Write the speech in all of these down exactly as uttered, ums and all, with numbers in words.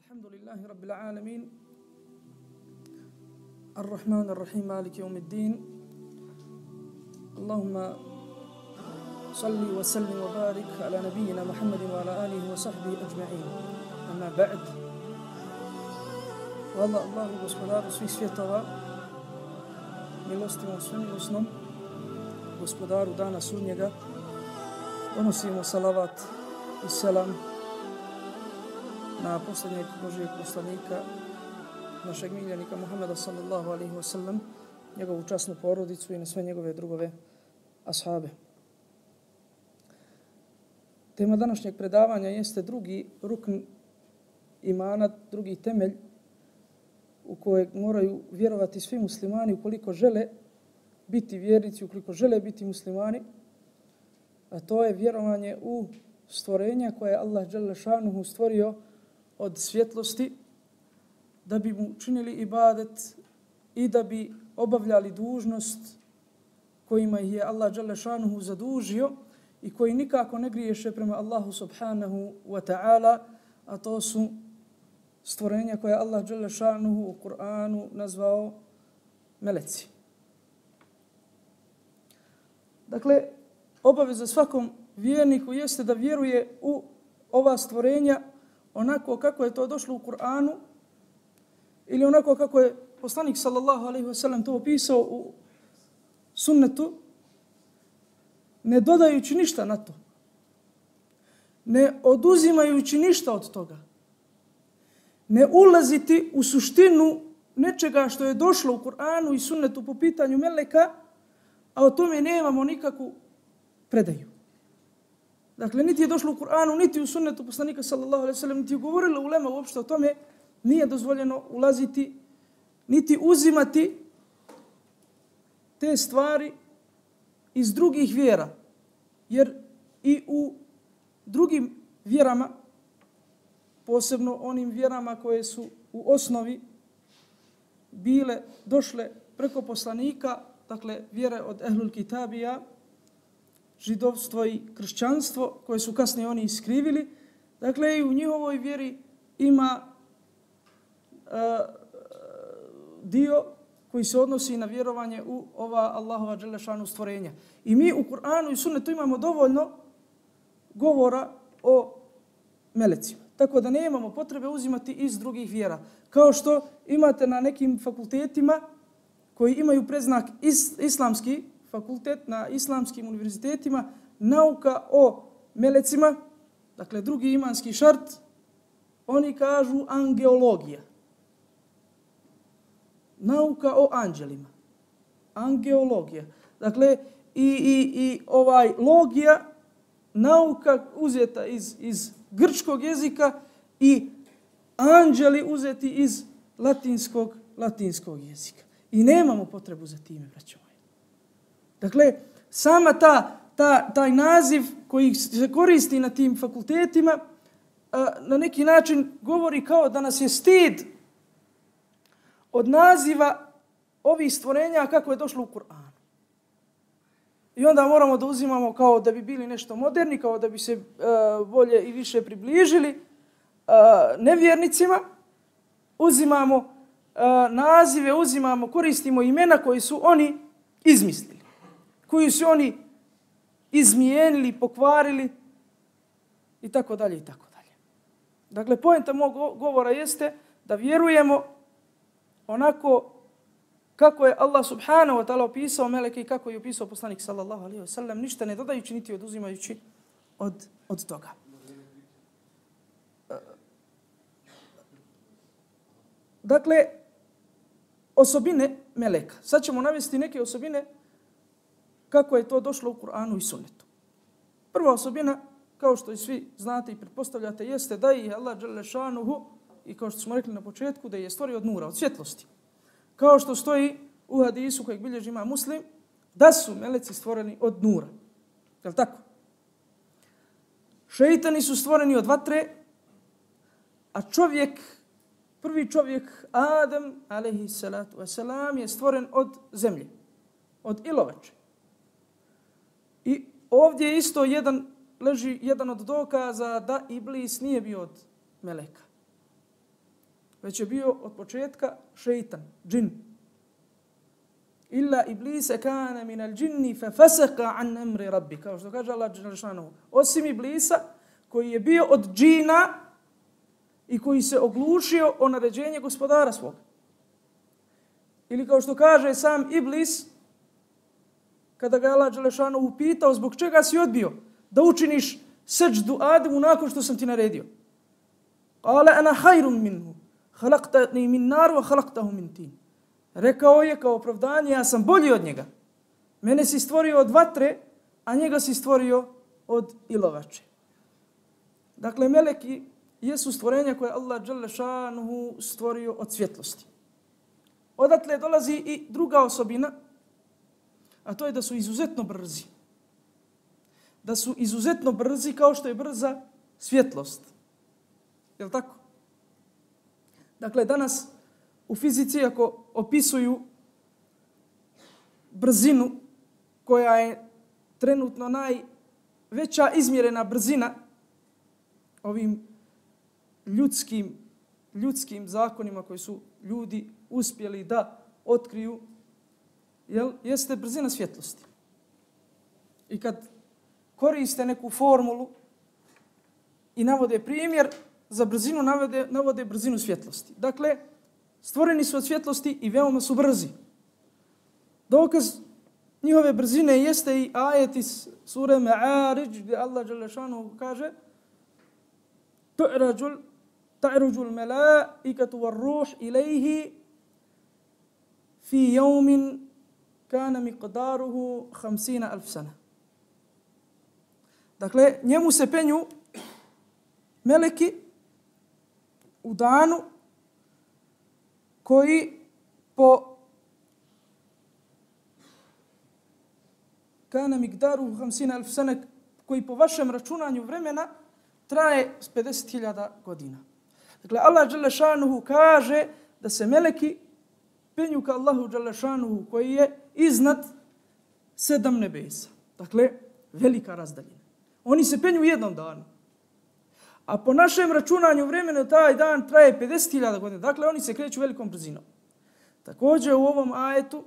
الحمد لله رب العالمين الرحمن الرحيم مالك يوم الدين اللهم صل وسلم وبارك على نبينا محمد وعلى آله وصحبه أجمعين أما بعد والله الله gospodaru svih svjetova milostima svemilosnom gospodaru dana sudnjega donosimo salavat i selam na posljednjeg Božijeg poslanika, našeg miljenika Muhammeda sallallahu alaihi wa sallam, njegovu časnu porodicu i na sve njegove drugove ashabe. Tema današnjeg predavanja jeste drugi rukn imana, drugi temelj u kojeg moraju vjerovati svi muslimani ukoliko žele biti vjernici, ukoliko žele biti muslimani, a to je vjerovanje u stvorenja koje je Allah dželle šanuhu stvorio od svjetlosti da bi mu činili ibadet i da bi obavljali dužnost kojima ih je Allah dželle šanuhu zadužio i koji nikako ne griješe prema Allahu subhanahu wa ta'ala, a to su stvorenja koje Allah dželle šanuhu u Kur'anu nazvao meleci. Dakle, obaveza svakom vjerniku jeste da vjeruje u ova stvorenja onako kako je to došlo u Kur'anu ili onako kako je poslanik sallallahu alejhi ve sellem to opisao u sunnetu, ne dodajući ništa na to, ne oduzimajući ništa od toga, ne ulaziti u suštinu nečega što je došlo u Kur'anu i sunnetu po pitanju meleka, a o tome nemamo nikakvu predaju. Dakle, niti je došlo u Kur'anu, niti u sunnetu poslanika sallallahu alejhi ve sellem, niti je govorila ulema uopšte o tome, nije dozvoljeno ulaziti, niti uzimati te stvari iz drugih vjera. Jer i u drugim vjerama, posebno onim vjerama koje su u osnovi bile, došle preko poslanika, dakle, vjere od ehlul kitabija, židovstvo i kršćanstvo, koje su kasnije oni iskrivili. Dakle, i u njihovoj vjeri ima uh, dio koji se odnosi na vjerovanje u ova Allahova dželle šanu stvorenja. I mi u Kur'anu i sunnetu imamo dovoljno govora o melecima. Tako da nemamo potrebe uzimati iz drugih vjera. Kao što imate na nekim fakultetima koji imaju predznak is, islamski, fakultet na islamskim univerzitetima, nauka o melecima, dakle drugi imanski šart, oni kažu angeologija. Nauka o anđelima. Angeologija. Dakle, i, i, i ovaj logija, nauka uzeta iz, iz grčkog jezika i anđeli uzeti iz latinskog, latinskog jezika. I nemamo potrebu za time, braćo. Dakle, sama ta, ta, taj naziv koji se koristi na tim fakultetima a, na neki način govori kao da nas je stid od naziva ovih stvorenja kako je došlo u Kur'anu. I onda moramo da uzimamo kao da bi bili nešto moderni, kao da bi se a, bolje i više približili a, nevjernicima. Uzimamo a, nazive, uzimamo, koristimo imena koji su oni izmislili, koju su oni izmijenili, pokvarili i tako dalje i tako dalje. Dakle, poenta mog govora jeste da vjerujemo onako kako je Allah subhanahu wa ta'ala opisao meleke i kako je opisao poslanik sallallahu alejhi ve sellem, ništa ne dodajući niti oduzimajući od, od toga. Dakle, osobine meleka. Sad ćemo navesti neke osobine kako je to došlo u Kur'anu i sunnetu. Prva osobina, kao što i svi znate i pretpostavljate, jeste da je Allah dželle šanuhu, i kao što smo rekli na početku, da je stvorio od nura, od svjetlosti. Kao što stoji u hadisu kojeg bilježi ima Muslim, da su meleci stvoreni od nura. Je li tako? Šeitani su stvoreni od vatre, a čovjek, prvi čovjek, Adam, alejhi salatu wasalam, je stvoren od zemlje, od ilovače. I ovdje isto jedan, leži jedan od dokaza da Iblis nije bio od meleka. već je bio od početka šeitan, džin. Illa iblise kana min al džinni fa fasaka an amri rabbi, kao što kaže Allah dželle šanehu. Osim iblisa koji je bio od džina i koji se oglušio o naređenje gospodara svog. Ili kao što kaže sam iblis, kada ga Allah dželle šanehu upitao zbog čega si odbio da učiniš seđdu Ademu nakon što sam ti naredio. Kale ana hajrun minhu, halaqtani min nar wa halaqtahu min tin. Rekao je kao opravdanje, ja sam bolji od njega. Mene si stvorio od vatre, a njega si stvorio od ilovače. Dakle, meleki jesu stvorenja koje Allah dželle šanuhu stvorio od svjetlosti. Odatle dolazi i druga osobina, a to je da su izuzetno brzi. Da su izuzetno brzi kao što je brza svjetlost. Je li tako? Dakle, danas u fizici ako opisuju brzinu koja je trenutno najveća izmjerena brzina ovim ljudskim, ljudskim zakonima koji su ljudi uspjeli da otkriju, jel, jeste brzina svjetlosti. I kad koriste neku formulu i navode primjer, za brzinu navode, navode brzinu svjetlosti. Dakle, stvoreni su od svjetlosti i veoma su brzi. Dokaz njihove brzine jeste i ajet iz sure Ma'arij gdje Allah dželle šanuhu kaže Tu'rađul ta'ruđul mela'ikatu var ruh ilaihi fi yawmin kana miqdaruhu hamsina alf sana. Dakle, njemu se penju meleki u danu koji po kana miqdaruhu hamsina alf sana, koji po vašem računanju vremena traje pedeset hiljada godina. Dakle, Allah dželle šanuhu kaže da se meleki penju ka Allahu dželle šanuhu koji je iznad sedam nebesa. Dakle, velika razdaljina. Oni se penju u jednom danu. A po našem računanju vremena taj dan traje pedeset hiljada godina. Dakle, oni se kreću velikom brzinom. Također u ovom ajetu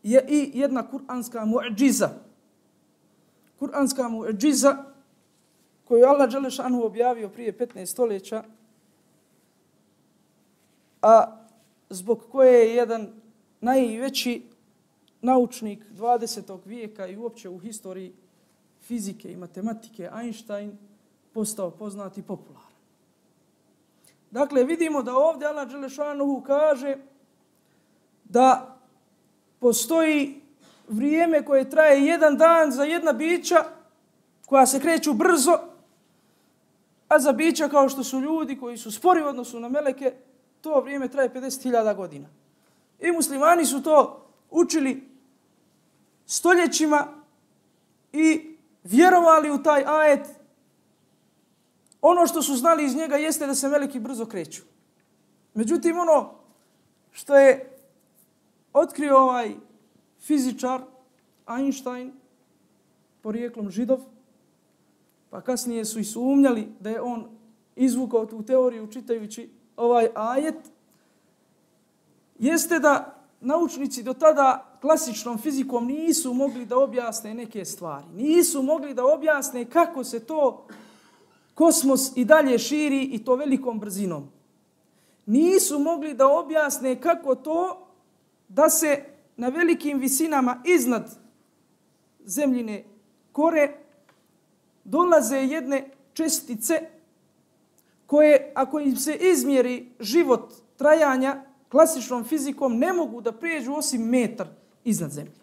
je i jedna kuranska mu'džiza. Kuranska mu'džiza koju Allah dželle šanuhu objavio prije petnaest stoljeća, a zbog koje je jedan najveći naučnik dvadesetog vijeka i uopće u historiji fizike i matematike, Einstein, postao poznat i popularan. Dakle, vidimo da ovdje Allah dželle šanuhu kaže da postoji vrijeme koje traje jedan dan za jedna bića koja se kreću brzo, a za bića kao što su ljudi koji su spori u odnosu na meleke, to vrijeme traje pedeset hiljada godina. I muslimani su to učili stoljećima i vjerovali u taj ajet. Ono što su znali iz njega jeste da se meleki brzo kreću. Međutim, ono što je otkrio ovaj fizičar Einstein, porijeklom Židov, pa kasnije su i sumnjali da je on izvukao tu teoriju čitajući ovaj ajet, jeste da naučnici do tada klasičnom fizikom nisu mogli da objasne neke stvari. Nisu mogli da objasne kako se to kosmos i dalje širi i to velikom brzinom. Nisu mogli da objasne kako to da se na velikim visinama iznad zemljine kore dolaze jedne čestice koje, ako im se izmjeri život trajanja klasičnom fizikom, ne mogu da prijeđu osim metar iznad zemlje.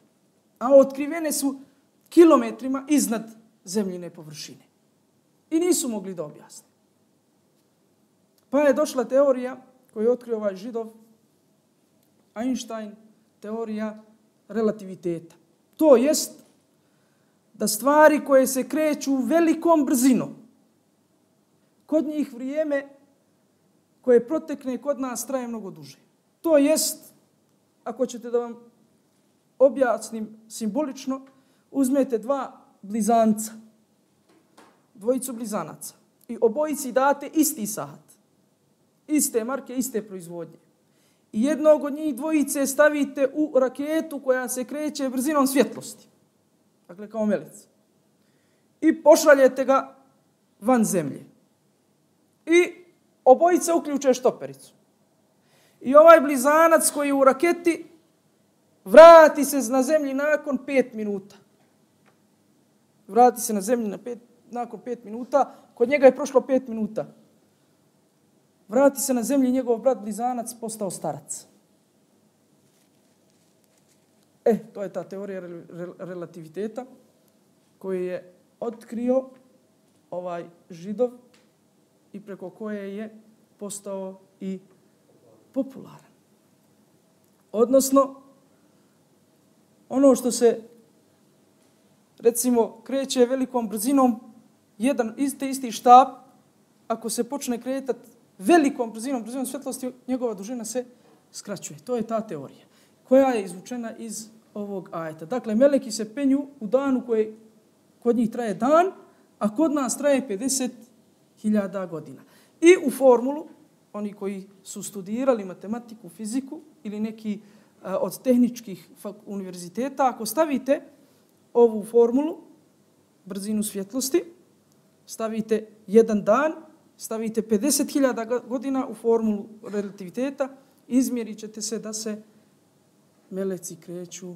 A otkrivene su kilometrima iznad zemljine površine. I nisu mogli da objasne. Pa je došla teorija koju je otkrio ovaj Židov, Einstein, teorija relativiteta. To jest da stvari koje se kreću velikom brzinom, kod njih vrijeme koje protekne kod nas traje mnogo duže. To jest, ako ćete da vam objasnim simbolično, uzmete dva blizanca, dvojicu blizanaca i obojici date isti sat. iste marke, iste proizvodnje. I jednog od njih dvojice stavite u raketu koja se kreće brzinom svjetlosti. Dakle, kao melica. I pošaljete ga van zemlje. I obojica uključe štopericu. I ovaj blizanac koji je u raketi vrati se na zemlji nakon pet minuta. Vrati se na zemlji na pet, nakon pet minuta. Kod njega je prošlo pet minuta. Vrati se na zemlji njegov brat blizanac postao starac. E, to je ta teorija relativiteta koju je otkrio ovaj Židov i preko koje je postao i popularan. Odnosno, ono što se, recimo, kreće velikom brzinom, jedan isti, isti štap, ako se počne kretati velikom brzinom, brzinom svjetlosti, njegova dužina se skraćuje. To je ta teorija koja je izvučena iz ovog ajeta. Dakle, meleki se penju u danu koji kod njih traje dan, a kod nas traje pedeset hiljada godina. I u formulu, oni koji su studirali matematiku, fiziku ili neki uh, od tehničkih univerziteta, ako stavite ovu formulu, brzinu svjetlosti, stavite jedan dan, stavite pedeset hiljada godina u formulu relativiteta, izmjerit ćete se da se meleci kreću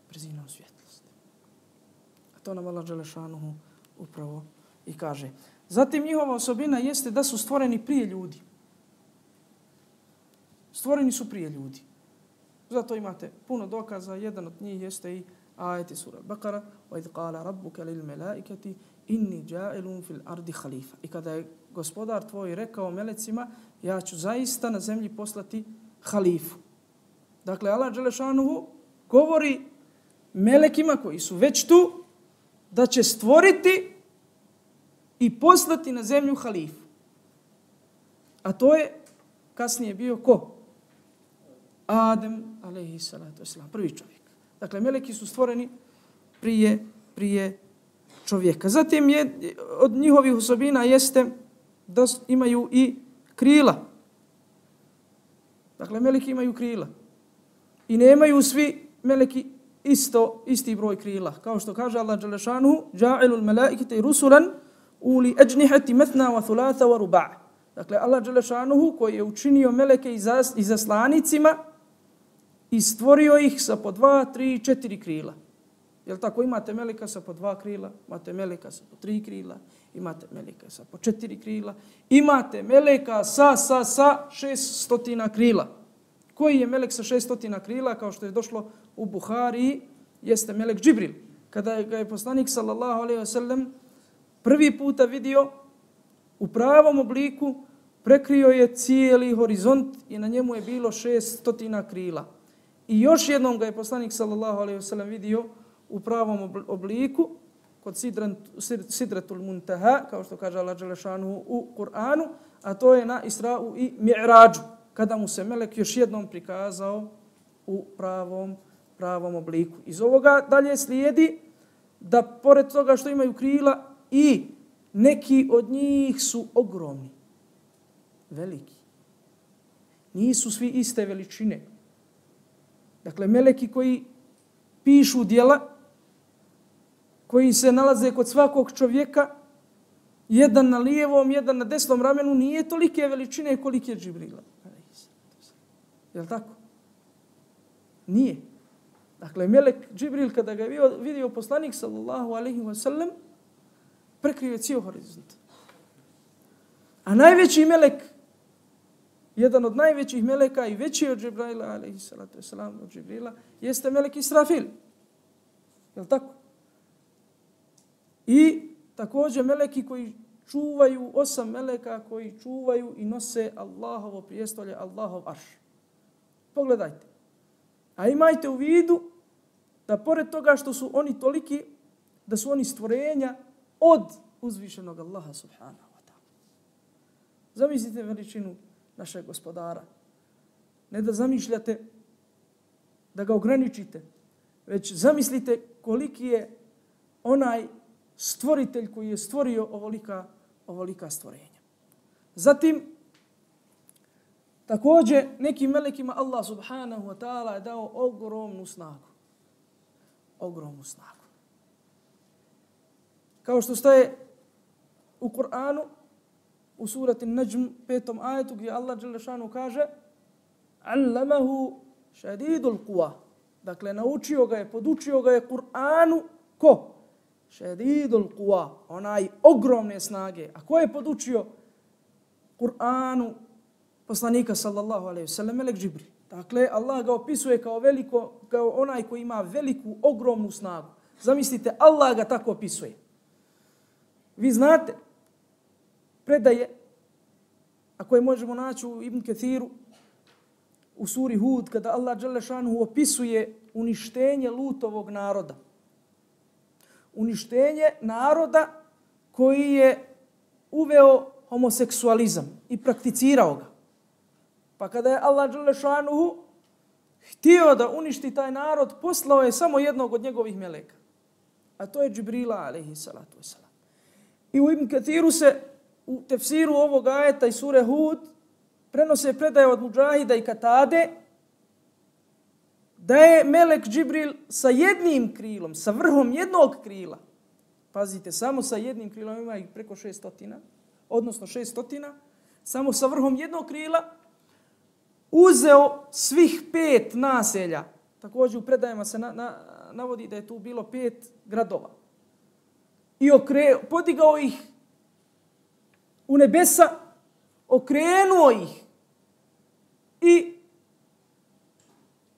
brzinom svjetlosti. A to nam Allah dželešanuhu upravo i kaže. Zatim njihova osobina jeste da su stvoreni prije ljudi. Stvoreni su prije ljudi. Zato imate puno dokaza. Jedan od njih jeste i ajeti sura Bakara وَإِذْ قَالَ رَبُّكَ لِلْمَلَائِكَةِ إِنِّي جَائِلٌ فِي الْأَرْضِ خَلِيفَةً. I kada je gospodar tvoj rekao melecima, ja ću zaista na zemlji poslati halifu. Dakle, Allah dželešanuhu govori melekima koji su već tu da će stvoriti i poslati na zemlju halifu. A to je kasnije bio ko? Adem, alejhi salatu vesselam, prvi čovjek. Dakle, meleki su stvoreni prije, prije čovjeka. Zatim je, od njihovih osobina jeste da imaju i krila. Dakle, meleki imaju krila. I nemaju svi meleki isto, isti broj krila. Kao što kaže Allah dželešanuhu, ja'ilul malaikati rusulan uli ajnihati mathna wa thulatha wa ruba'. Dakle, Allah dželešanuhu koji je učinio meleke i zaslanicima i stvorio ih sa po dva, tri, četiri krila. Jel tako? Imate meleka sa po dva krila, imate meleka sa po tri krila, imate meleka sa po četiri krila, imate meleka sa, sa, sa šest stotina krila. Koji je melek sa šest stotina krila, kao što je došlo u Buhari, jeste melek Džibril. Kada je, ga je poslanik sallallahu alejhi ve sellem prvi puta vidio u pravom obliku, prekrio je cijeli horizont i na njemu je bilo šest stotina krila. I još jednom ga je poslanik sallallahu alejhi ve sellem vidio u pravom obliku kod Sidratul Muntaha, kao što kaže Allah dželešanuhu u Kur'anu, a to je na Isra'u i Mi'rađu, kada mu se melek još jednom prikazao u pravom, pravom obliku. Iz ovoga dalje slijedi da pored toga što imaju krila i neki od njih su ogromni, veliki. Nisu svi iste veličine. Dakle, meleki koji pišu djela, koji se nalaze kod svakog čovjeka, jedan na lijevom, jedan na desnom ramenu, nije tolike veličine kolike je Džibrila. Jel' tako? Nije. Dakle, melek Džibril, kada ga je vidio poslanik, sallallahu alaihi wa sallam, prekrio je cijel horizont. A najveći melek, jedan od najvećih meleka i veći od Džibrila, alaihi salatu wasalam, od Džibrila, jeste melek Israfil. Jel' tako? I također meleki koji čuvaju, osam meleka koji čuvaju i nose Allahovo prijestolje, Allahov arš. Pogledajte. A imajte u vidu da pored toga što su oni toliki, da su oni stvorenja od uzvišenog Allaha subhanahu wa ta'ala. Zamislite veličinu našeg gospodara. Ne da zamišljate da ga ograničite, već zamislite koliki je onaj stvoritelj koji je stvorio ovolika, ovolika stvorenja. Zatim, Također, nekim melekima Allah subhanahu wa ta'ala je dao ogromnu snagu. Ogromnu snagu. Kao što staje u Kur'anu, u surati Najm, petom ajetu, gdje Allah dželle šanu kaže Allamahu šadidul quwa. Dakle, naučio ga je, podučio ga je Kur'anu ko? Šadidul quwa, onaj ogromne snage. A ko je podučio Kur'anu poslanika sallallahu alejhi ve sellem? Melek Džibril. Dakle, Allah ga opisuje kao veliko, kao onaj koji ima veliku, ogromnu snagu. Zamislite, Allah ga tako opisuje. Vi znate predaje, a koje možemo naći u Ibn Kathiru, u suri Hud, kada Allah dželle šanuhu opisuje uništenje Lutovog naroda. Uništenje naroda koji je uveo homoseksualizam i prakticirao ga. Pa kada je Allah dželle šanuhu htio da uništi taj narod, poslao je samo jednog od njegovih meleka. A to je Džibrila alejhi salatu vesselam. I u Ibn Kathiru se u tefsiru ovog ajeta i sure Hud prenose predaje od Mudžahida i Katade da je melek Džibril sa jednim krilom, sa vrhom jednog krila, pazite, samo sa jednim krilom, ima ih preko šestotina, odnosno šestotina, samo sa vrhom jednog krila, uzeo svih pet naselja. Također u predajama se na, na, navodi da je tu bilo pet gradova. I okre, podigao ih u nebesa, okrenuo ih i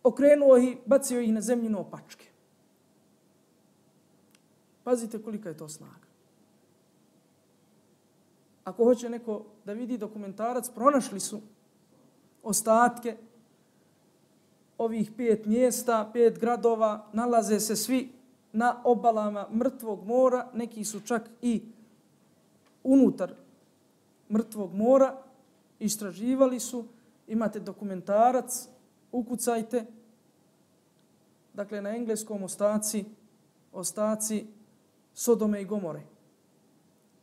okrenuo ih, bacio ih na zemlju na opačke. Pazite kolika je to snaga. Ako hoće neko da vidi dokumentarac, pronašli su ostatke ovih pet mjesta, pet gradova, nalaze se svi na obalama mrtvog mora, neki su čak i unutar mrtvog mora, istraživali su, imate dokumentarac, ukucajte, dakle na engleskom ostaci, ostaci Sodome i Gomore.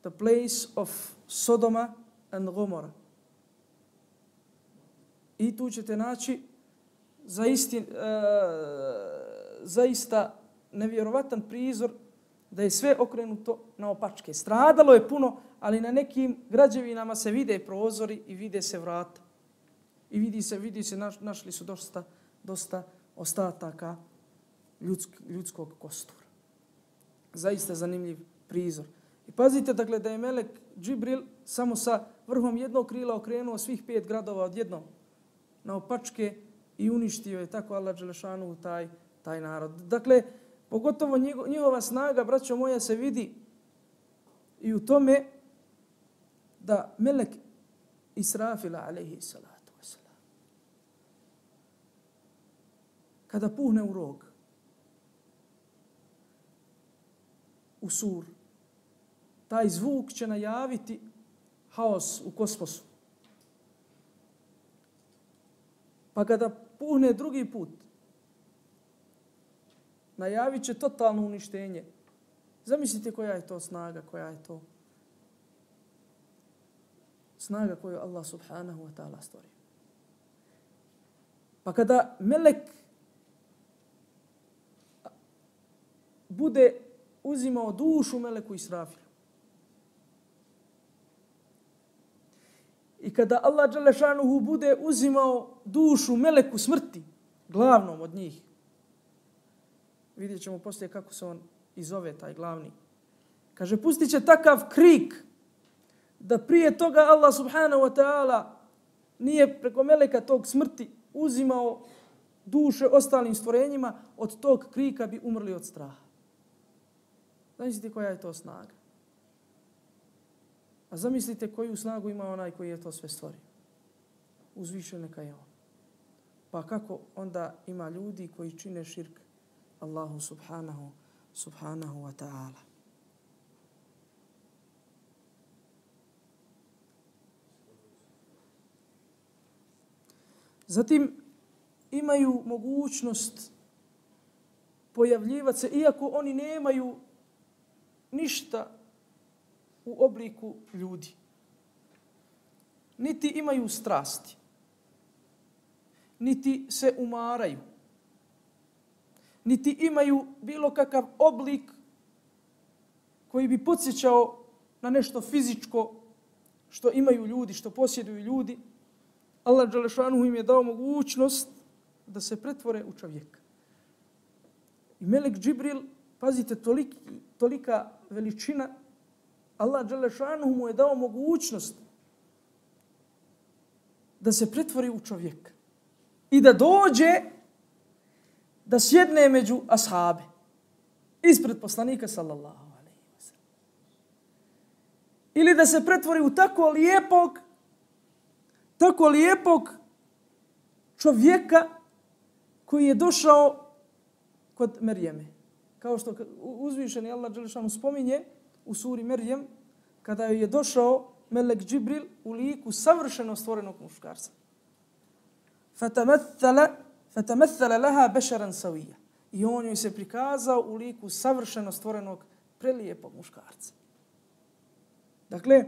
The place of Sodoma and Gomora. I tu ćete naći zaisti, uh, zaista nevjerovatan prizor da je sve okrenuto na opačke. Stradalo je puno, ali na nekim građevinama se vide prozori i vide se vrata. I vidi se, vidi se, naš, našli su dosta, dosta ostataka ljudsk, ljudskog kostura. Zaista zanimljiv prizor. I pazite, dakle, da je melek Džibril samo sa vrhom jednog krila okrenuo svih pet gradova odjednom na opačke i uništio je tako Allah dželle šanuhu taj, taj narod. Dakle, pogotovo njihova snaga, braćo moja, se vidi i u tome da melek Israfila alejhi salatu vesselam kada puhne u rog, u sur, taj zvuk će najaviti haos u kosmosu. Pa kada puhne drugi put, najavit će totalno uništenje. Zamislite koja je to snaga, koja je to snaga koju Allah subhanahu wa ta'ala stvorio. Pa kada melek bude uzimao dušu meleku Israfilu i kada Allah dželle šanuhu bude uzimao dušu meleku smrti, glavnom od njih, vidjet ćemo poslije kako se on izove, taj glavni. Kaže, pustit će takav krik da prije toga Allah subhanahu wa ta'ala nije preko meleka tog smrti uzimao duše ostalim stvorenjima, od tog krika bi umrli od straha. Zamislite koja je to snaga. A zamislite koju snagu ima onaj koji je to sve stvorio. Uzvišen neka je on. Pa kako onda ima ljudi koji čine širk Allahu subhanahu, subhanahu wa ta'ala. Zatim imaju mogućnost pojavljivati se, iako oni nemaju ništa u obliku ljudi. Niti imaju strasti. niti se umaraju, niti imaju bilo kakav oblik koji bi podsjećao na nešto fizičko što imaju ljudi, što posjeduju ljudi. Allah dželešanu im je dao mogućnost da se pretvore u čovjeka. I melek Džibril, pazite, toliki, tolika veličina, Allah dželešanu mu je dao mogućnost da se pretvori u čovjeka i da dođe da sjedne među ashabe ispred poslanika sallallahu alejhi ve sellem. Ili da se pretvori u tako lijepog tako lijepog čovjeka koji je došao kod Merjeme. Kao što uzvišeni Allah dželešanu spominje u suri Merjem, kada je došao melek Džibril u liku savršeno stvorenog muškarca. Fatamatthala fatamatthala laha basharan sawiyya. I on joj se prikazao u liku savršeno stvorenog prelijepog muškarca. Dakle,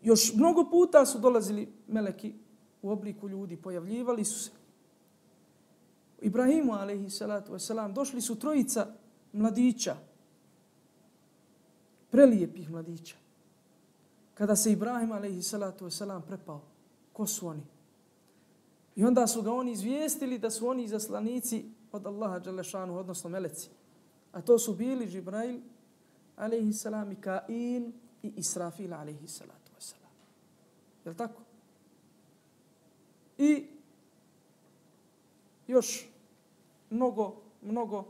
još mnogo puta su dolazili meleki u obliku ljudi, pojavljivali su se. Ibrahimu alejhi salatu vesselam došli su trojica mladića, prelijepih mladića. Kada se Ibrahim alejhi salatu vesselam prepao, ko su oni? I onda su ga oni izvijestili da su oni izaslanici od Allaha dželešanu, odnosno meleci. A to su bili Džibrail alejhi salam, Mikail i Israfil alejhi salatu vesselam. Je li tako? I još mnogo, mnogo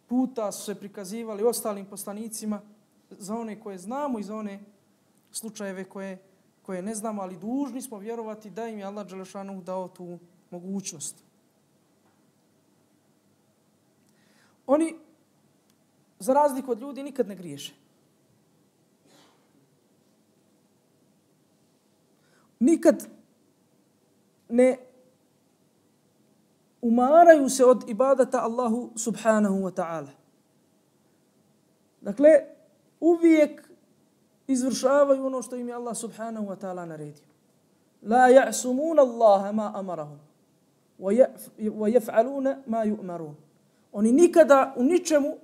puta su se prikazivali ostalim poslanicima, za one koje znamo i za one slučajeve koje, koje ne znamo, ali dužni smo vjerovati da im je Allah dželešanu dao tu mogućnost. Oni, za razliku od ljudi, nikad ne griješe. Nikad ne umaraju se od ibadata Allahu subhanahu wa ta'ala. Dakle, uvijek izvršavaju ono što im je Allah subhanahu wa ta'ala naredio. La ja'sumuna Allaha ma amarahum wa yaf'aluna ma yu'marun. Oni nikada u ničemu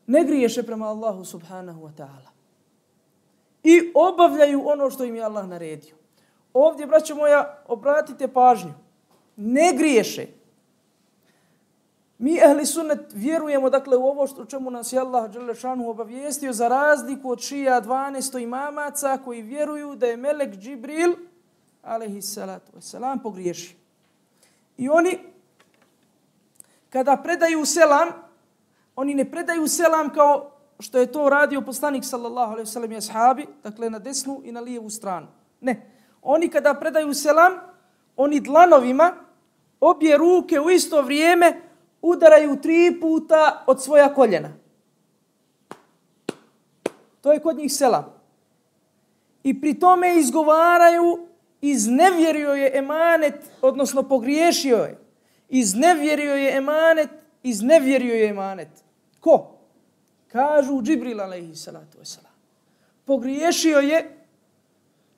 ne griješe prema Allahu subhanahu wa ta'ala. I obavljaju ono što im je Allah naredio. Ovdje, braćo moja, obratite pažnju. Ne griješe. Mi, ehli sunnet, vjerujemo dakle u ovo što, čemu nas je Allah dželešanu obavijestio, za razliku od šija dvanaest imamaca koji vjeruju da je melek Džibril alejhi salatu vesselam pogriješio. I oni, kada predaju selam, oni ne predaju selam kao što je to radio poslanik sallallahu alejhi ve sellem i ashabi, dakle na desnu i na lijevu stranu. Ne. Oni kada predaju selam, oni dlanovima obje ruke u isto vrijeme udaraju tri puta od svoja koljena. To je kod njih selam. I pri tome izgovaraju iznevjerio je emanet, odnosno pogriješio je. Iznevjerio je emanet, iznevjerio je emanet. Ko? Kažu Džibril alejhi salatu vesselam. Pogriješio je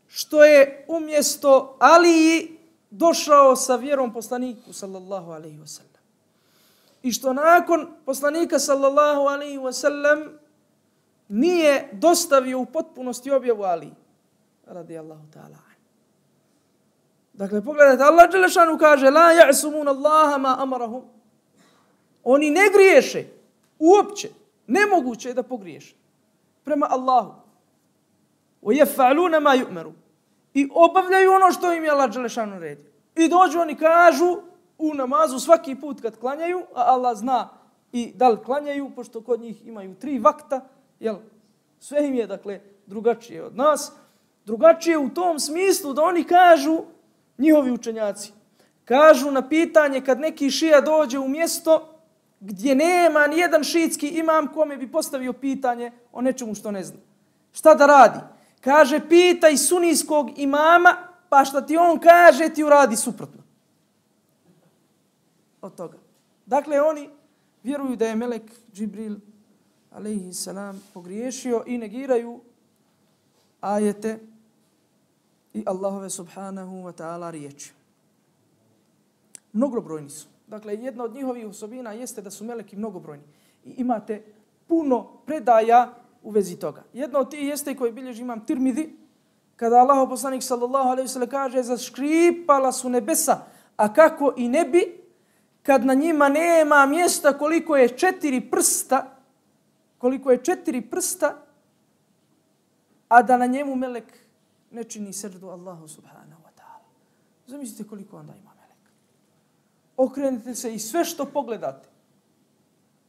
što je umjesto Aliji došao sa vjerom poslaniku sallallahu alejhi ve sellem. I što nakon poslanika sallallahu alejhi ve sellem nije dostavio u potpunosti objavu Aliji radijallahu ta'ala. Dakle, pogledajte, Allah dželešanu kaže la ja'sumun Allaha ma amarahum. Oni ne griješe uopće. Nemoguće je da pogriješe prema Allahu. Wa yaf'aluna ma yu'maru. I obavljaju ono što im je Allah dželešanu naredio. I dođu oni kažu u namazu svaki put kad klanjaju, a Allah zna i da li klanjaju, pošto kod njih imaju tri vakta, jel? Sve im je, dakle, drugačije od nas. Drugačije u tom smislu da oni kažu, njihovi učenjaci, kažu na pitanje kad neki šija dođe u mjesto gdje nema ni jedan šiitski imam kome bi postavio pitanje o nečemu što ne zna. Šta da radi? Kaže, pitaj sunijskog imama, pa šta ti on kaže, ti uradi suprotno od toga. Dakle, oni vjeruju da je melek Džibril alejhi salam pogriješio i negiraju ajete i Allahove subhanahu wa ta'ala riječi. mnogobrojni su. Dakle, jedna od njihovih osobina jeste da su meleki mnogobrojni. I imate puno predaja u vezi toga. Jedna od tih jeste koji bilježi imam Tirmidhi, kada Allahov poslanik sallallahu alejhi ve sellem kaže zaškripala su nebesa, a kako i ne bi, kad na njima nema mjesta koliko je četiri prsta, koliko je četiri prsta, a da na njemu melek ne čini seždu Allahu subhanahu wa ta'ala. Zamislite koliko onda ima meleka. Okrenite se i sve što pogledate.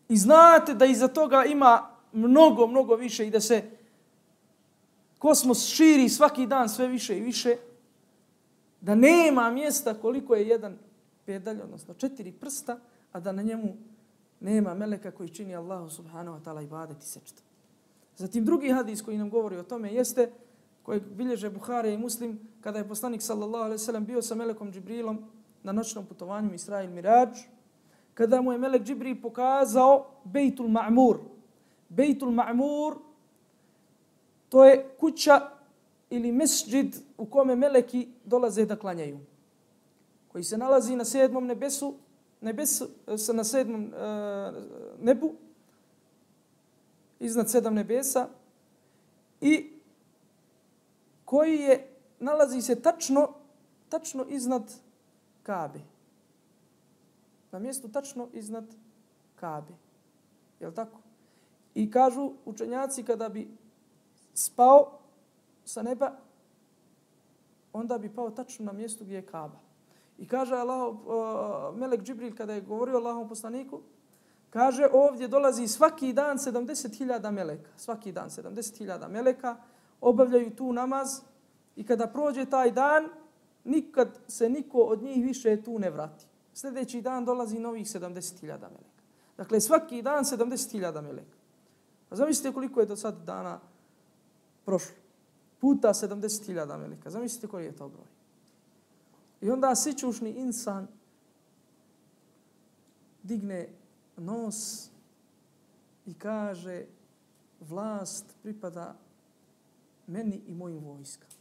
I znate da iza toga ima mnogo, mnogo više i da se kosmos širi svaki dan sve više i više, da nema mjesta koliko je jedan pedalj, odnosno četiri prsta, a da na njemu nema meleka koji čini Allahu subhanahu wa ta'ala ibadet i seždu. Zatim drugi hadis koji nam govori o tome jeste, koji bilježe Buhari i Muslim, kada je poslanik sallallahu alejhi ve sellem bio sa melekom Džibrilom na noćnom putovanju Isra i Mirađ, kada mu je melek Džibril pokazao Bejtul Ma'mur. Bejtul Ma'mur, to je kuća ili mesdžid u kome meleki dolaze da klanjaju, koji se nalazi na sedmom nebesu, nebesu na sedmom uh, nebu, iznad sedam nebesa, i koji je, nalazi se tačno, tačno iznad Kabe. Na mjestu tačno iznad Kabe. Je li tako? I kažu učenjaci kada bi spao sa neba, onda bi pao tačno na mjestu gdje je Kaba. I kaže Allah, uh, melek Džibril kada je govorio Allahom poslaniku, kaže ovdje dolazi svaki dan sedamdeset hiljada meleka. Svaki dan sedamdeset hiljada meleka obavljaju tu namaz i kada prođe taj dan, nikad se niko od njih više tu ne vrati. Sljedeći dan dolazi novih sedamdeset hiljada meleka. Dakle, svaki dan sedamdeset hiljada meleka. A zamislite koliko je do sad dana prošlo. Puta sedamdeset hiljada meleka. Zamislite koji je to broj. I onda sićušni insan digne nos i kaže vlast pripada meni i mojim vojskama.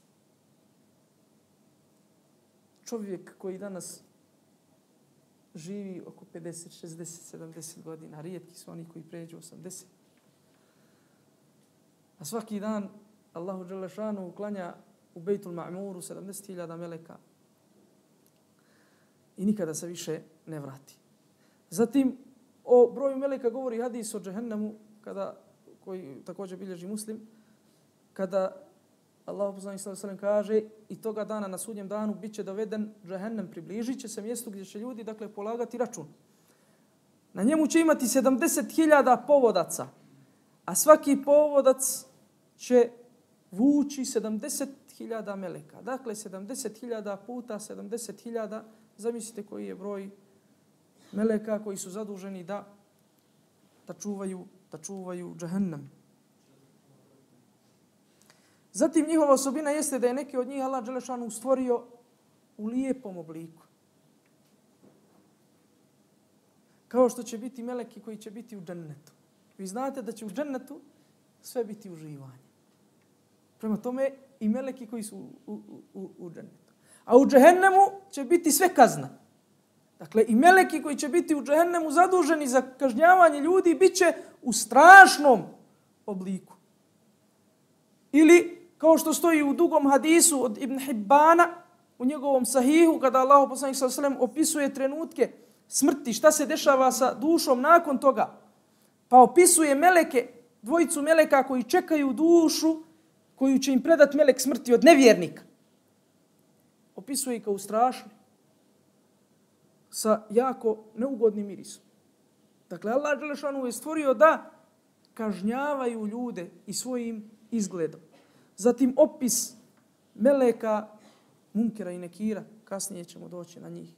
Čovjek koji danas živi oko pedeset, šezdeset, sedamdeset godina, rijetki su oni koji pređu osamdeset. A svaki dan Allahu dželle šanuhu uklanja u Bejtul Ma'muru sedamdeset hiljada meleka i nikada se više ne vrati. Zatim, o broju meleka govori hadis o džehennemu, kada, koji također bilježi Muslim, kada Allah poslanik sallallahu alejhi ve sellem kaže i toga dana na sudnjem danu bit će doveden džehennem, približit će se mjestu gdje će ljudi dakle polagati račun. Na njemu će imati sedamdeset hiljada povodaca, a svaki povodac će vući sedamdeset hiljada meleka. Dakle, sedamdeset hiljada puta sedamdeset hiljada, zamislite koji je broj meleka koji su zaduženi da, da čuvaju, da čuvaju džehennem. Zatim njihova osobina jeste da je neki od njih Allah dželle šanuhu stvorio u lijepom obliku. Kao što će biti meleki koji će biti u džennetu. Vi znate da će u džennetu sve biti uživanje. Prema tome i meleki koji su u, u, u džennetu. A u džehennemu će biti sve kazna. Dakle, i meleki koji će biti u džehennemu zaduženi za kažnjavanje ljudi bit će u strašnom obliku. Ili, kao što stoji u dugom hadisu od Ibn Hibbana, u njegovom sahihu, kada Allah poslanik sallallahu alejhi ve sellem opisuje trenutke smrti, šta se dešava sa dušom nakon toga, pa opisuje meleke, dvojicu meleka koji čekaju dušu, koju će im predat melek smrti od nevjernika. Opisuje ih kao strašno, sa jako neugodnim mirisom. Dakle, Allah dželle šanuhu je stvorio da kažnjavaju ljude i svojim izgledom. Zatim opis meleka Munkera i Nekira, kasnije ćemo doći na njih.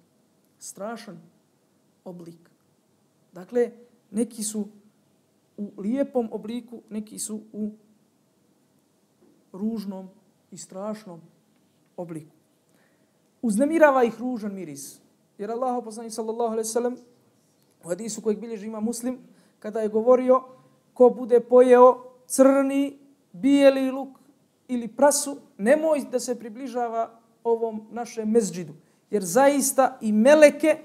Strašan oblik. Dakle, neki su u lijepom obliku, neki su u ružnom i strašnom obliku. Uznemirava ih ružan miris. Jer Allah poslanik sallallahu alejhi ve sellem u hadisu kojeg bilježi ima Muslim, kada je govorio ko bude pojeo crni, bijeli luk ili prasu, nemoj da se približava ovom našem mezđidu. Jer zaista i meleke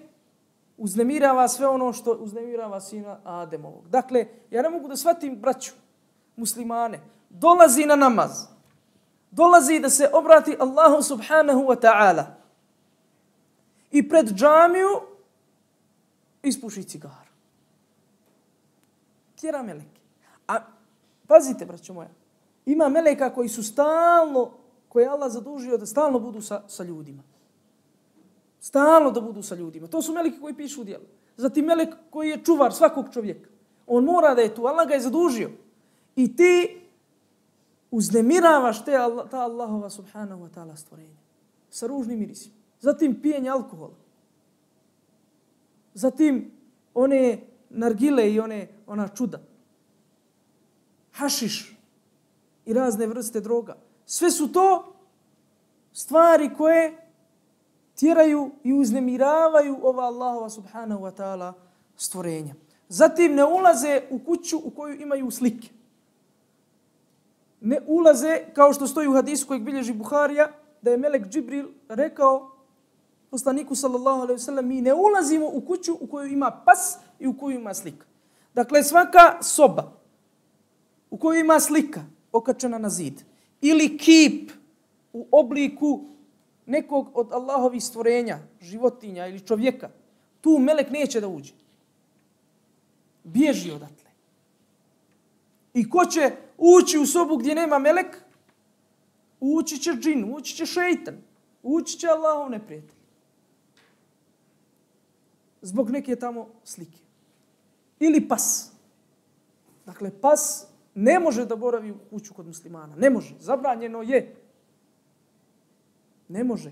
uznemirava sve ono što uznemirava sina Ademovog. Dakle, ja ne mogu da shvatim braću, muslimane, dolazi na namaz, dolazi da se obrati Allahu subhanahu wa ta'ala i pred džamiju ispuši cigaru. Tjera meleke. A pazite, braćo moja, ima meleka koji su stalno, koje je Allah zadužio da stalno budu sa, sa ljudima. Stalno da budu sa ljudima. To su meleki koji pišu djela. Zatim melek koji je čuvar svakog čovjeka. On mora da je tu. Allah ga je zadužio. I ti uznemiravaš te, ta Allahova subhanahu wa ta'ala stvorenja. Sa ružnim mirisima. Zatim pijenje alkohola. Zatim one nargile i one, ona čuda. Hašiš i razne vrste droga. Sve su to stvari koje tjeraju i uznemiravaju ova Allahova subhanahu wa ta'ala stvorenja. Zatim ne ulaze u kuću u koju imaju slike. Ne ulaze, kao što stoji u hadisu kojeg bilježi Buharija, da je melek Džibril rekao poslaniku sallallahu alejhi ve sellem, mi ne ulazimo u kuću u kojoj ima pas i u kojoj ima slika. Dakle, svaka soba u kojoj ima slika okačena na zid ili kip u obliku nekog od Allahovih stvorenja, životinja ili čovjeka, tu melek neće da uđe. Bježi odatle. I ko će ući u sobu gdje nema melek? Ući će džin, ući će šeitan, ući će Allahov neprijatelj. Zbog neke tamo slike. Ili pas. Dakle, pas ne može da boravi u kuću kod muslimana. Ne može. Zabranjeno je. Ne može.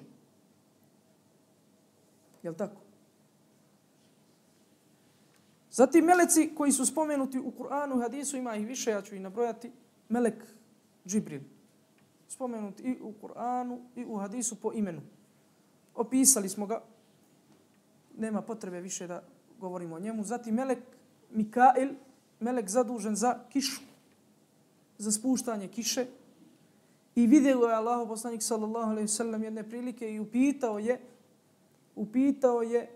Jel tako? Zatim meleci koji su spomenuti u Kur'anu, hadisu, ima ih više, ja ću ih nabrojati. Melek Džibril. Spomenuti i u Kur'anu i u hadisu po imenu. Opisali smo ga. Nema potrebe više da govorimo o njemu. Zatim melek Mikail, melek zadužen za kišu, za spuštanje kiše. I vidio je Allahov poslanik sallallahu alejhi ve sellem jedne prilike i upitao je upitao je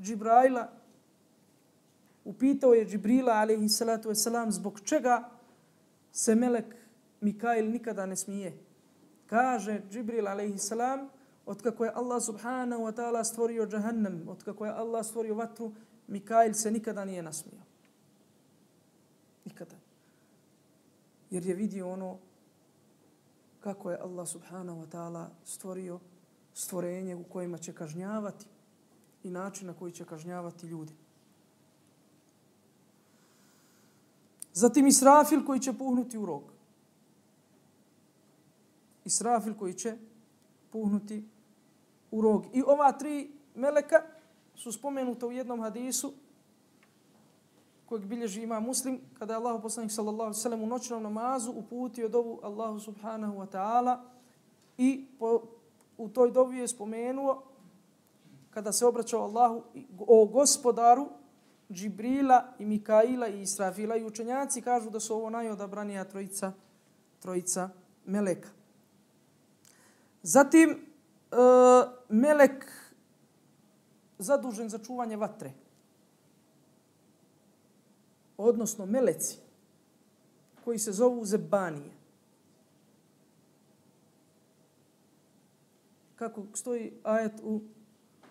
Džibraila upitao je Džibrila alejhi salatu vesselam zbog čega se melek Mikail nikada ne smije. Kaže Džibril alejhi salam, otkako je Allah subhanahu wa ta'ala stvorio džahannam, otkako je Allah stvorio vatru, Mikail se nikada nije nasmijao. Nikada. Jer je vidio ono kako je Allah subhanahu wa ta'ala stvorio stvorenje u kojima će kažnjavati i način na koji će kažnjavati ljudi. Zatim Israfil koji će puhnuti u rog. Israfil koji će puhnuti u rog. I ova tri meleka su spomenuta u jednom hadisu kojeg bilježi ima Muslim, kada je Allahu poslanik sallallahu alejhi ve sellem u noćnom namazu uputio dovu Allahu subhanahu wa ta'ala i po, u toj dovi je spomenuo kada se obraćao Allahu o gospodaru Džibrila i Mikaila i Israfila i učenjaci kažu da su ovo najodabranija trojica, trojica meleka. Zatim e, melek zadužen za čuvanje vatre. Odnosno meleci koji se zovu zebanije. Kako stoji ajet u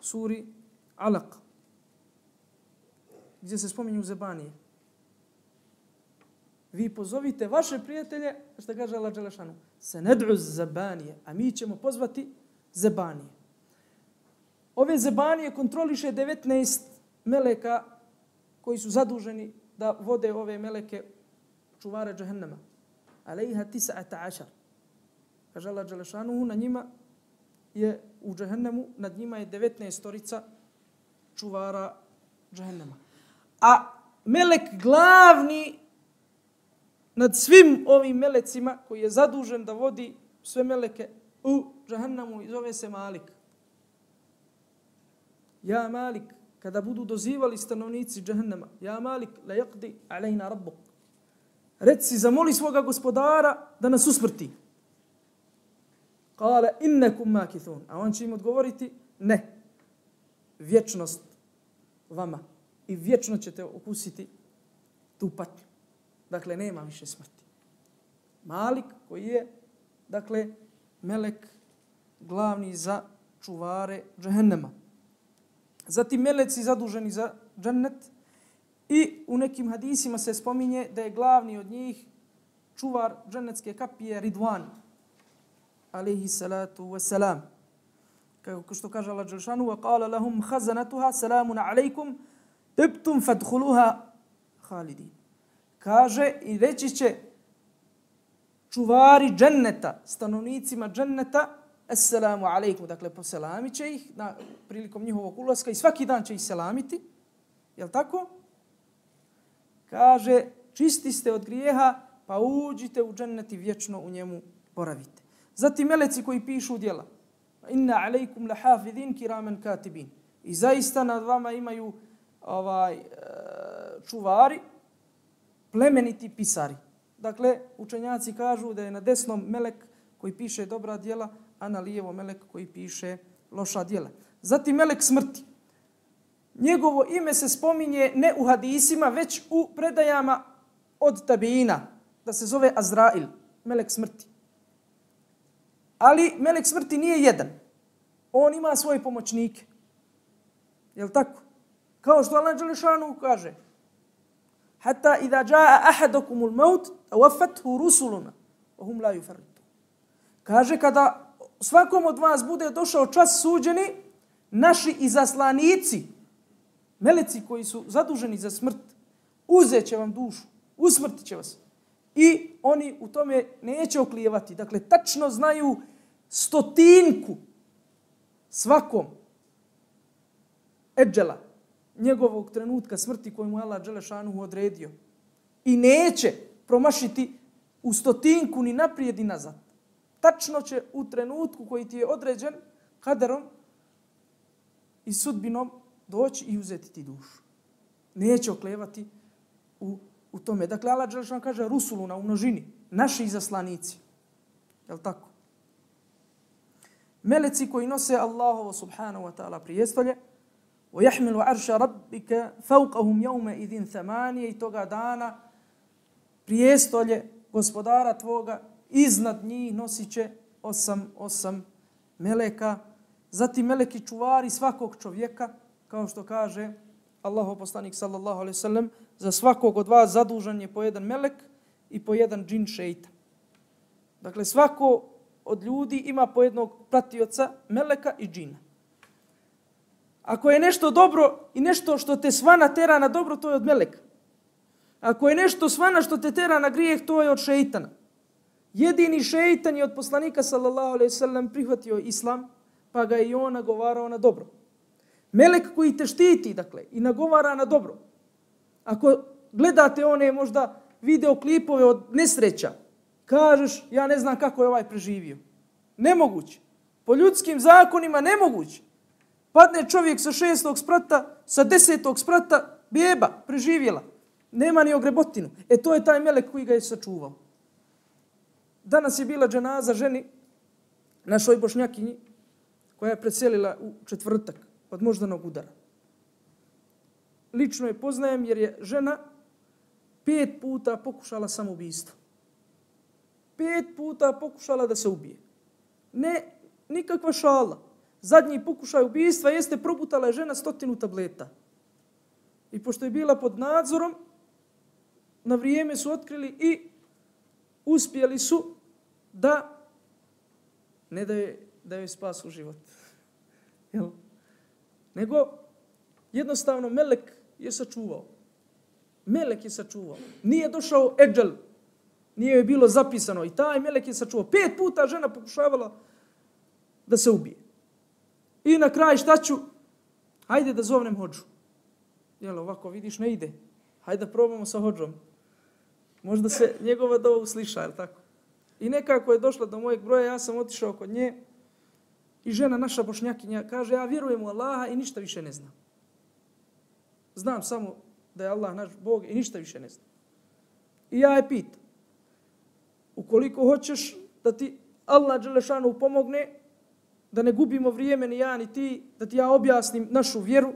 suri Alaq, gdje se spominju zebanije. Vi pozovite vaše prijatelje, što kaže Allah dželešanu, se ned'u zebanije, a mi ćemo pozvati zebanije. Ove zebanije kontroliše devetnaest meleka koji su zaduženi da vode ove meleke čuvare džahennama. Alejha tis'ata ašar. Kaže Allah dželešanu, na njima je u džahennamu, nad njima je devetnaest storica čuvara džahennama. A melek glavni nad svim ovim melecima koji je zadužen da vodi sve meleke u džahennamu i zove se Malik. Ja Malik, kada budu dozivali stanovnici džahennama, ja Malik, la yaqdi alejna rabbuk. Reci, zamoli svoga gospodara da nas usmrti. Kale, innekum makithun. A on će im odgovoriti, ne. Vječnost vama i vječno ćete okusiti tu patnju. Dakle, nema više smrti. Malik koji je, dakle, melek glavni za čuvare džehennema. Zatim meleci zaduženi za džennet i u nekim hadisima se spominje da je glavni od njih čuvar džennetske kapije Ridvan, alejhi salatu wassalam. Kako što kaže Allah dželešanu, wa qala lahum khazanatuha salamun alaykum tibtum fadkhuluha khalidin. Kaže i reći će čuvari dženneta, stanovnicima dženneta, assalamu alejkum, dakle poselamit će ih na, prilikom njihovog ulaska i svaki dan će ih selamiti. Jel tako? Kaže, čisti ste od grijeha, pa uđite u džennet i vječno u njemu boravite. Zatim meleci koji pišu djela. Inna alejkum lahafidin kiraman katibin. I zaista nad vama imaju ovaj čuvari, plemeniti pisari. Dakle, učenjaci kažu da je na desnom melek koji piše dobra djela, a na lijevo melek koji piše loša djela. Zatim melek smrti. Njegovo ime se spominje ne u hadisima, već u predajama od tabiina, da se zove Azrail, melek smrti. Ali melek smrti nije jedan. On ima svoje pomoćnike. Jel tako? Kao što Allah dželešanu kaže: Hatta idha jaa ahadukumul maut tawaffathu rusuluna wa hum la yufarritun. Kaže, kada svakom od vas bude došao čas suđeni, naši izaslanici, meleci koji su zaduženi za smrt, uzet će vam dušu, usmrtit će vas. I oni u tome neće oklijevati. Dakle, tačno znaju stotinku svakom eđela, njegovog trenutka smrti koju mu je Allah dželešanuhu odredio. I neće promašiti u stotinku ni naprijed ni nazad. Tačno će u trenutku koji ti je određen kaderom i sudbinom doći i uzeti ti dušu. Neće oklevati u, u tome. Dakle, Allah dželešan kaže rusuluna u množini, naši izaslanici. Jel' tako? Meleci koji nose Allahovo subhanahu wa ta'ala prijestolje, وَيَحْمِلُ عَرْشَ رَبِّكَ فَوْقَهُمْ يَوْمَ إِذٍ ثَمَانِيَ, i toga dana prijestolje gospodara tvoga iznad njih nosit će osam, osam meleka. Zatim meleki čuvari svakog čovjeka, kao što kaže Allahov poslanik sallallahu alejhi ve sellem, za svakog od vas zadužen je po jedan melek i po jedan džin šejtan. Dakle, svako od ljudi ima po jednog pratioca meleka i džina. Ako je nešto dobro i nešto što te svana tera na dobro, to je od meleka. Ako je nešto svana što te tera na grijeh, to je od šejtana. Jedini šejtan je od poslanika sallallahu alejhi ve sellem prihvatio islam, pa ga i on nagovarao na dobro. Melek koji te štiti, dakle, i nagovara na dobro. Ako gledate one možda videoklipove od nesreća, kažeš, ja ne znam kako je ovaj preživio. Nemoguće. Po ljudskim zakonima nemoguće. Padne čovjek sa šestog sprata, sa desetog sprata, beba, preživjela. Nema ni ogrebotinu. E to je taj melek koji ga je sačuvao. Danas je bila dženaza ženi, našoj Bošnjakinji, koja je preselila u četvrtak od moždanog udara. Lično je poznajem jer je žena pet puta pokušala samoubistvo. Pet puta pokušala da se ubije. Ne, nikakva šala. Zadnji pokušaj ubistva jeste probutala je žena stotinu tableta. I pošto je bila pod nadzorom, na vrijeme su otkrili i uspjeli su da ne da je, da joj spasu život. Jel? Nego jednostavno melek je sačuvao. Melek je sačuvao. Nije došao eđel. Nije joj bilo zapisano. I taj melek je sačuvao. Pet puta žena pokušavala da se ubije. I na kraj šta ću? Hajde da zovnem hodžu. Jel, ovako vidiš, ne ide. Hajde da probamo sa hodžom. Možda se njegova dova usliša, jel tako? I nekako je došla do mojeg broja, ja sam otišao kod nje i žena naša Bošnjakinja kaže, ja vjerujem u Allaha i ništa više ne znam. Znam samo da je Allah naš Bog i ništa više ne znam. I ja je pitam, ukoliko hoćeš da ti Allah dželešanu pomogne, da ne gubimo vrijeme ni ja ni ti, da ti ja objasnim našu vjeru,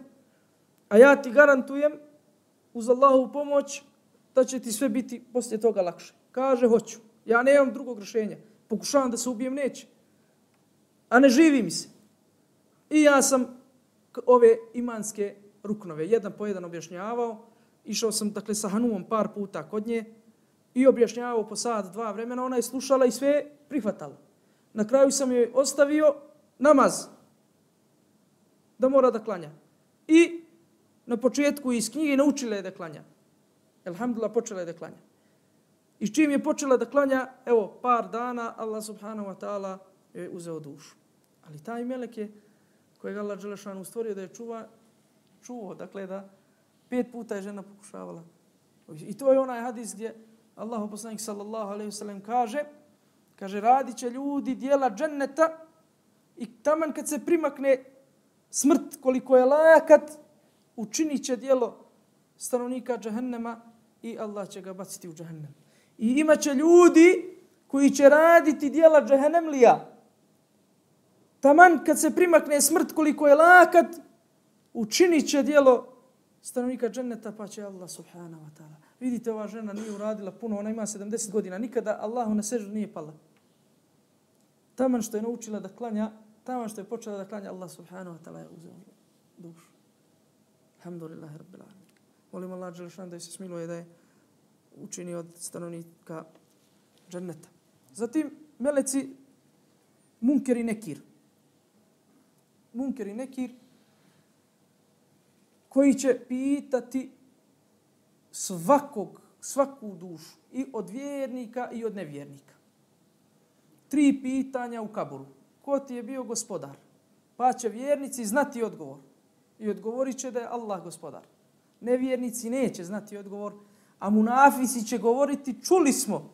A ja ti garantujem uz Allahovu pomoć da će ti sve biti poslije toga lakše. Kaže, hoću. Ja nemam drugog rješenja. Pokušavam da se ubijem, neće. A ne živi mi se. I ja sam ove imanske ruknove jedan po jedan objašnjavao. Išao sam dakle sa Hanumom par puta kod nje i objašnjavao po sat, dva vremena. Ona je slušala i sve prihvatala. Na kraju sam joj ostavio namaz da mora da klanja. I na početku iz knjige naučila je da klanja. Elhamdulillah, počela je da klanja. I s čim je počela da klanja, evo, par dana, Allah subhanahu wa ta'ala je uzeo dušu. Ali taj melek je, kojeg Allah dželešanu stvorio da je čuva, čuo, dakle da pet puta je žena pokušavala. I to je onaj hadis gdje Allah poslanik sallallahu alejhi ve sellem kaže, kaže, radit će ljudi dijela dženneta i taman kad se primakne smrt koliko je lakat, učinit će dijelo stanovnika džehennema i Allah će ga baciti u džehennem. I imaće ljudi koji će raditi dijela džehennemlija. Taman kad se primakne smrt koliko je lakat, učinit će dijelo stanovnika dženneta pa će Allah subhanahu wa ta'ala. Vidite, ova žena nije uradila puno, ona ima sedamdeset godina, nikada Allahu na seždu nije pala. Taman što je naučila da klanja, taman što je počela da klanja, Allah subhanahu wa ta'ala je uzeo dušu. Alhamdulillahi rabbil alamin. Molim Allah dželešan da se smiluje da je učini od stanovnika dženneta. Zatim meleci Munker i Nekir. Munker i Nekir koji će pitati svakog, svaku dušu i od vjernika i od nevjernika. Tri pitanja u kaburu. Ko ti je bio gospodar? Pa će vjernici znati odgovor. I odgovorit će da je Allah gospodar. Nevjernici neće znati odgovor, a munafici će govoriti, čuli smo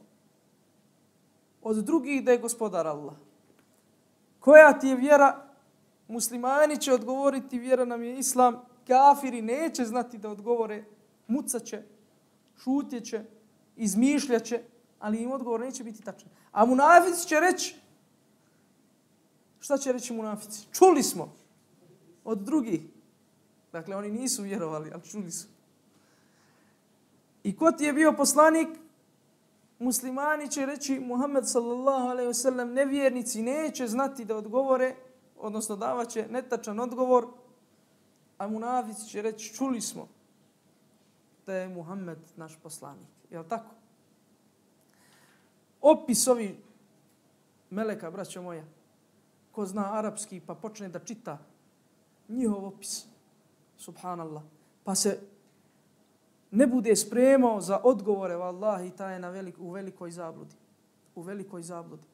od drugih da je gospodar Allah. Koja ti je vjera? Muslimani će odgovoriti, vjera nam je islam. Kafiri neće znati da odgovore, mucaće, šutjeće, izmišljaće, ali im odgovor neće biti tačan. A munafici će reći, šta će reći munafici? Čuli smo od drugih. Dakle, oni nisu vjerovali, ali čuli su. I ko ti je bio poslanik? Muslimani će reći, Muhammed sallallahu alejhi ve sellem, nevjernici neće znati da odgovore, odnosno davaće netačan odgovor, a munafici će reći, čuli smo da je Muhammed naš poslanik. Je li tako? Opis ovi meleka, braćo moja, ko zna arapski pa počne da čita njihov opis, subhanallah, pa se ne bude spremao za odgovore, vallahi, taj je na velik, u velikoj zabludi. U velikoj zabludi.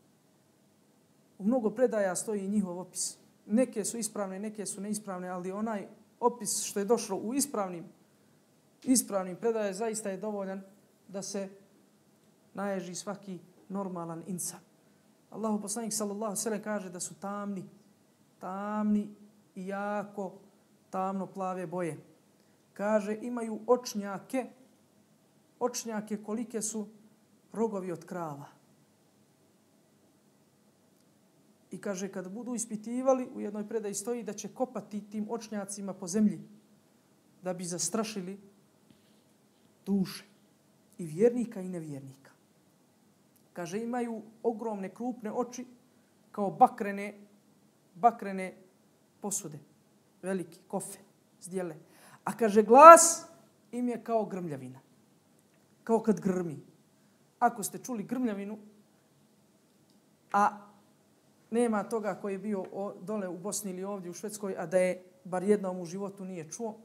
U mnogo predaja stoji njihov opis. Neke su ispravne, neke su neispravne, ali onaj opis što je došlo u ispravnim, ispravnim predaje zaista je dovoljan da se naježi svaki normalan insan. Allahu poslanik sallallahu alejhi ve sellem kaže da su tamni, tamni i jako tamno plave boje. Kaže, imaju očnjake, očnjake kolike su rogovi od krava. I kaže, kad budu ispitivali, u jednoj predaji stoji da će kopati tim očnjacima po zemlji, da bi zastrašili duše i vjernika i nevjernika. Kaže, imaju ogromne krupne oči kao bakrene, bakrene posude, veliki kofe, zdjele. A kaže, glas im je kao grmljavina, kao kad grmi. Ako ste čuli grmljavinu, a nema toga koji je bio dole u Bosni ili ovdje u Švedskoj, a da je bar jednom u životu nije čuo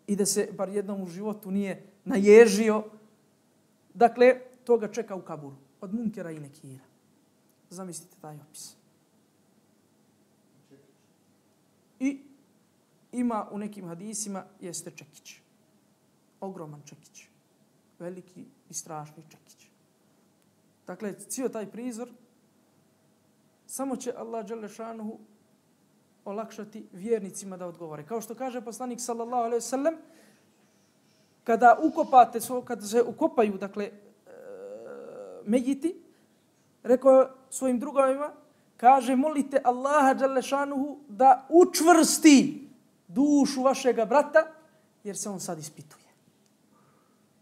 i da se bar jednom u životu nije naježio, dakle, toga čeka u kaburu. Od Munkera i Nekira. Zamislite taj opis. I ima u nekim hadisima jeste čekić. Ogroman čekić. Veliki i strašni čekić. Dakle, cijel taj prizor samo će Allah dželle šanuhu olakšati vjernicima da odgovore. Kao što kaže poslanik sallallahu alejhi ve sellem, kada ukopate, kada se ukopaju, dakle, medjiti, rekao svojim drugovima, kaže, molite Allaha dželle šanuhu da učvrsti dušu vašega brata jer se on sad ispituje.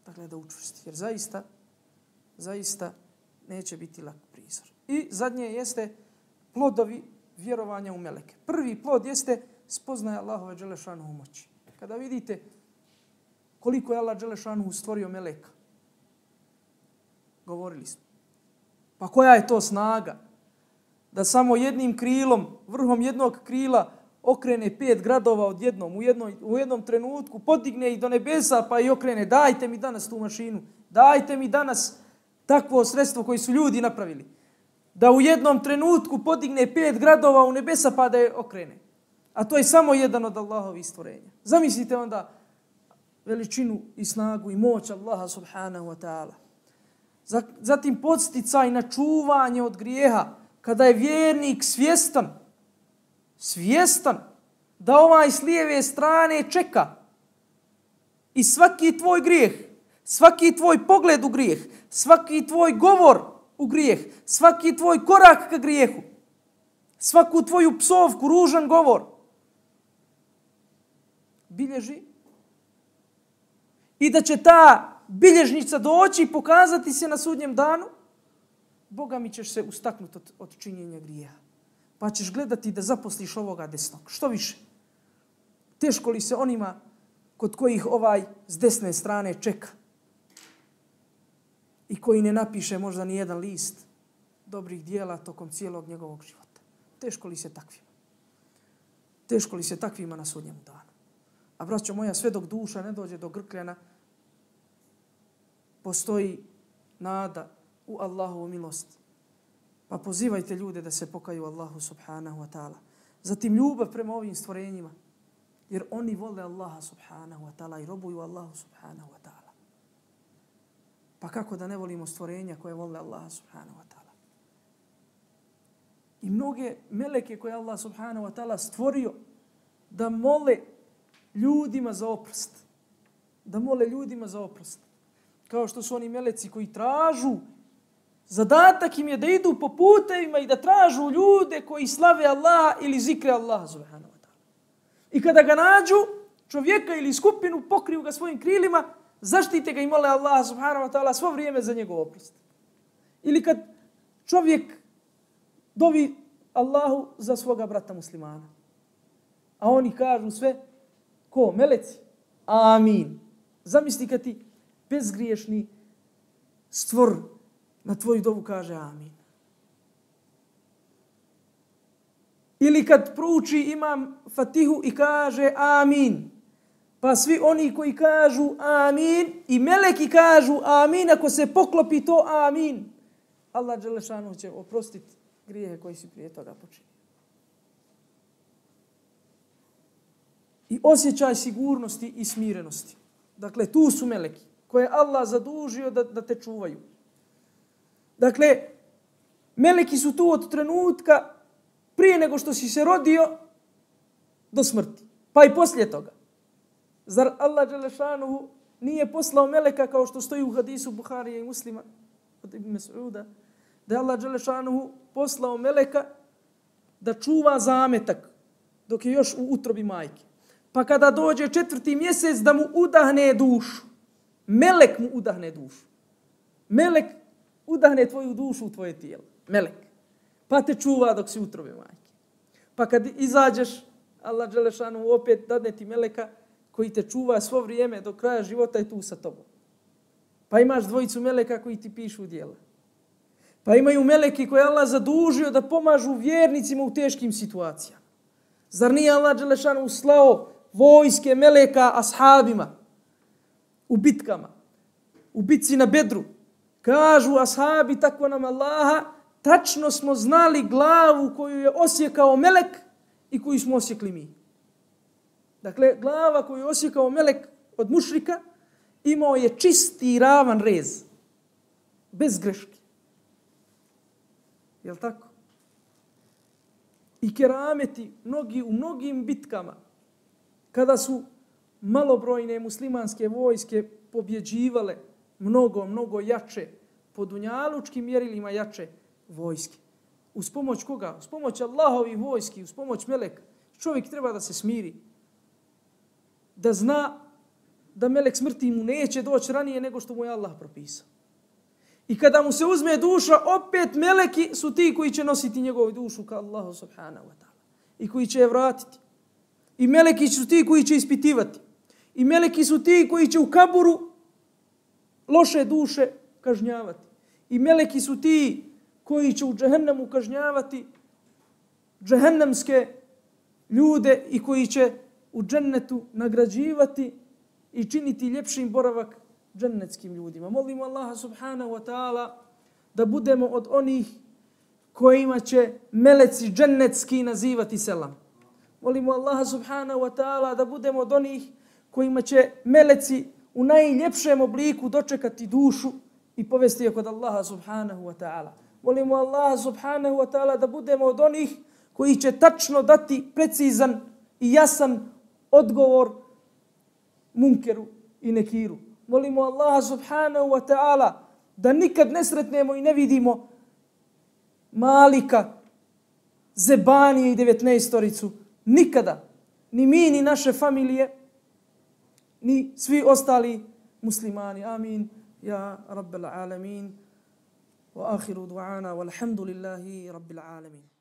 Dakle, da učvrsti. Jer zaista, zaista neće biti lak prizor. I zadnje jeste plodovi vjerovanja u meleke. Prvi plod jeste spoznaja Allahove dželešanuhu moći. Kada vidite koliko je Allah dželešanuhu stvorio meleka, govorili smo. Pa koja je to snaga? Da samo jednim krilom, vrhom jednog krila okrene pet gradova odjednom, u, jednoj, u jednom trenutku, podigne ih do nebesa pa i okrene. Dajte mi danas tu mašinu. Dajte mi danas takvo sredstvo koje su ljudi napravili. Da u jednom trenutku podigne pet gradova u nebesa pa da je okrene. A to je samo jedan od Allahovih stvorenja. Zamislite onda veličinu i snagu i moć Allaha subhanahu wa ta'ala. Zatim podsticaj na čuvanje od grijeha. Kada je vjernik svjestan, svjestan da ovaj s lijeve strane čeka i svaki tvoj grijeh, svaki tvoj pogled u grijeh, svaki tvoj govor u grijeh, svaki tvoj korak ka grijehu, svaku tvoju psovku, ružan govor, bilježi i da će ta bilježnica doći i pokazati se na sudnjem danu, Boga mi ćeš se ustaknuti od, od činjenja grijeha. Pa ćeš gledati da zaposliš ovoga desnog. Što više? Teško li se onima kod kojih ovaj s desne strane čeka i koji ne napiše možda ni jedan list dobrih dijela tokom cijelog njegovog života. Teško li se takvima? Teško li se takvima na sudnjemu danu? A braćo moja, sve dok duša ne dođe do grkljana, postoji nada u Allahovu milost. Pa pozivajte ljude da se pokaju Allahu subhanahu wa ta'ala. Zatim ljubav prema ovim stvorenjima. Jer oni vole Allaha subhanahu wa ta'ala i robuju Allahu subhanahu wa ta'ala. Pa kako da ne volimo stvorenja koje vole Allaha subhanahu wa ta'ala? I mnoge meleke koje Allah subhanahu wa ta'ala stvorio da mole ljudima za oprost. Da mole ljudima za oprost. Kao što su oni meleci koji tražu, zadatak im je da idu po putevima i da tražu ljude koji slave Allaha ili zikre Allaha subhanahu wa ta'ala. I kada ga nađu, čovjeka ili skupinu, pokriju ga svojim krilima, zaštite ga i mole Allaha subhanahu wa ta'ala svo vrijeme za njegov oprost. Ili kad čovjek dovi Allahu za svoga brata muslimana, a oni kažu sve, ko? Meleci? Amin. Zamisli kad ti bezgriješni stvor na tvoju dovu kaže amin. Ili kad prouči imam Fatihu i kaže amin. Pa svi oni koji kažu amin i meleki kažu amin, ako se poklopi to amin, Allah dželešanu će oprostiti grijehe koji si prije toga počinio. I osjećaj sigurnosti i smirenosti. Dakle, tu su meleki koje Allah zadužio da, da te čuvaju. Dakle, meleki su tu od trenutka prije nego što si se rodio do smrti. Pa i poslije toga. Zar Allah dželešanuhu nije poslao meleka kao što stoji u hadisu Buharije i Muslima od Ibn Mas'uda, da je Allah dželešanuhu poslao meleka da čuva zametak dok je još u utrobi majke. Pa kada dođe četvrti mjesec da mu udahne dušu. Melek mu udahne dušu. Melek udahne tvoju dušu u tvoje tijelo. Melek. Pa te čuva dok si u utrobi majke. Pa kad izađeš, Allah dželešanu opet dadne ti meleka koji te čuva svo vrijeme do kraja života i tu sa tobom. Pa imaš dvojicu meleka koji ti pišu djela. Pa imaju meleki koje Allah zadužio da pomažu vjernicima u teškim situacijama. Zar nije Allah dželešanu slao vojske meleka ashabima u bitkama, u bitci na Bedru? Kažu ashabi, tako nam Allaha, tačno smo znali glavu koju je osjekao melek i koju smo osjekli mi. Dakle, glava koju je osjekao melek od mušrika imao je čisti i ravan rez. Bez greške. Jel' tako? I kerameti mnogi, u mnogim bitkama, kada su malobrojne muslimanske vojske pobjeđivale mnogo, mnogo jače, po dunjalučkim mjerilima jače vojske. Uz pomoć koga? Uz pomoć Allahovih vojski, uz pomoć meleka. Čovjek treba da se smiri. Da zna da melek smrti mu neće doći ranije nego što mu je Allah propisao. I kada mu se uzme duša, opet meleki su ti koji će nositi njegovu dušu ka Allahu subhanahu wa ta'ala. I koji će je vratiti. I meleki su ti koji će ispitivati. I meleki su ti koji će u kaburu loše duše kažnjavati. I meleki su ti koji će u džehennemu kažnjavati džehennemske ljude i koji će u džennetu nagrađivati i činiti ljepšim boravak džennetskim ljudima. Molimo Allaha subhanahu wa ta'ala da budemo od onih kojima će meleci džennetski nazivati selam. Molimo Allaha subhanahu wa ta'ala da budemo od onih kojima će meleci u najljepšem obliku dočekati dušu i povesti je kod Allaha subhanahu wa ta'ala. Molimo Allaha subhanahu wa ta'ala da budemo od onih koji će tačno dati precizan i jasan odgovor munkeru i nekiru. Molimo Allaha subhanahu wa ta'ala da nikad ne sretnemo i ne vidimo Malika, Zebanije i devetnaestoricu. Nikada. Ni mi, ni naše familije, ni svi ostali muslimani. Amin. Ja Rabbel alamin. Wa akhiru du'ana walhamdulillahi Rabbil alamin.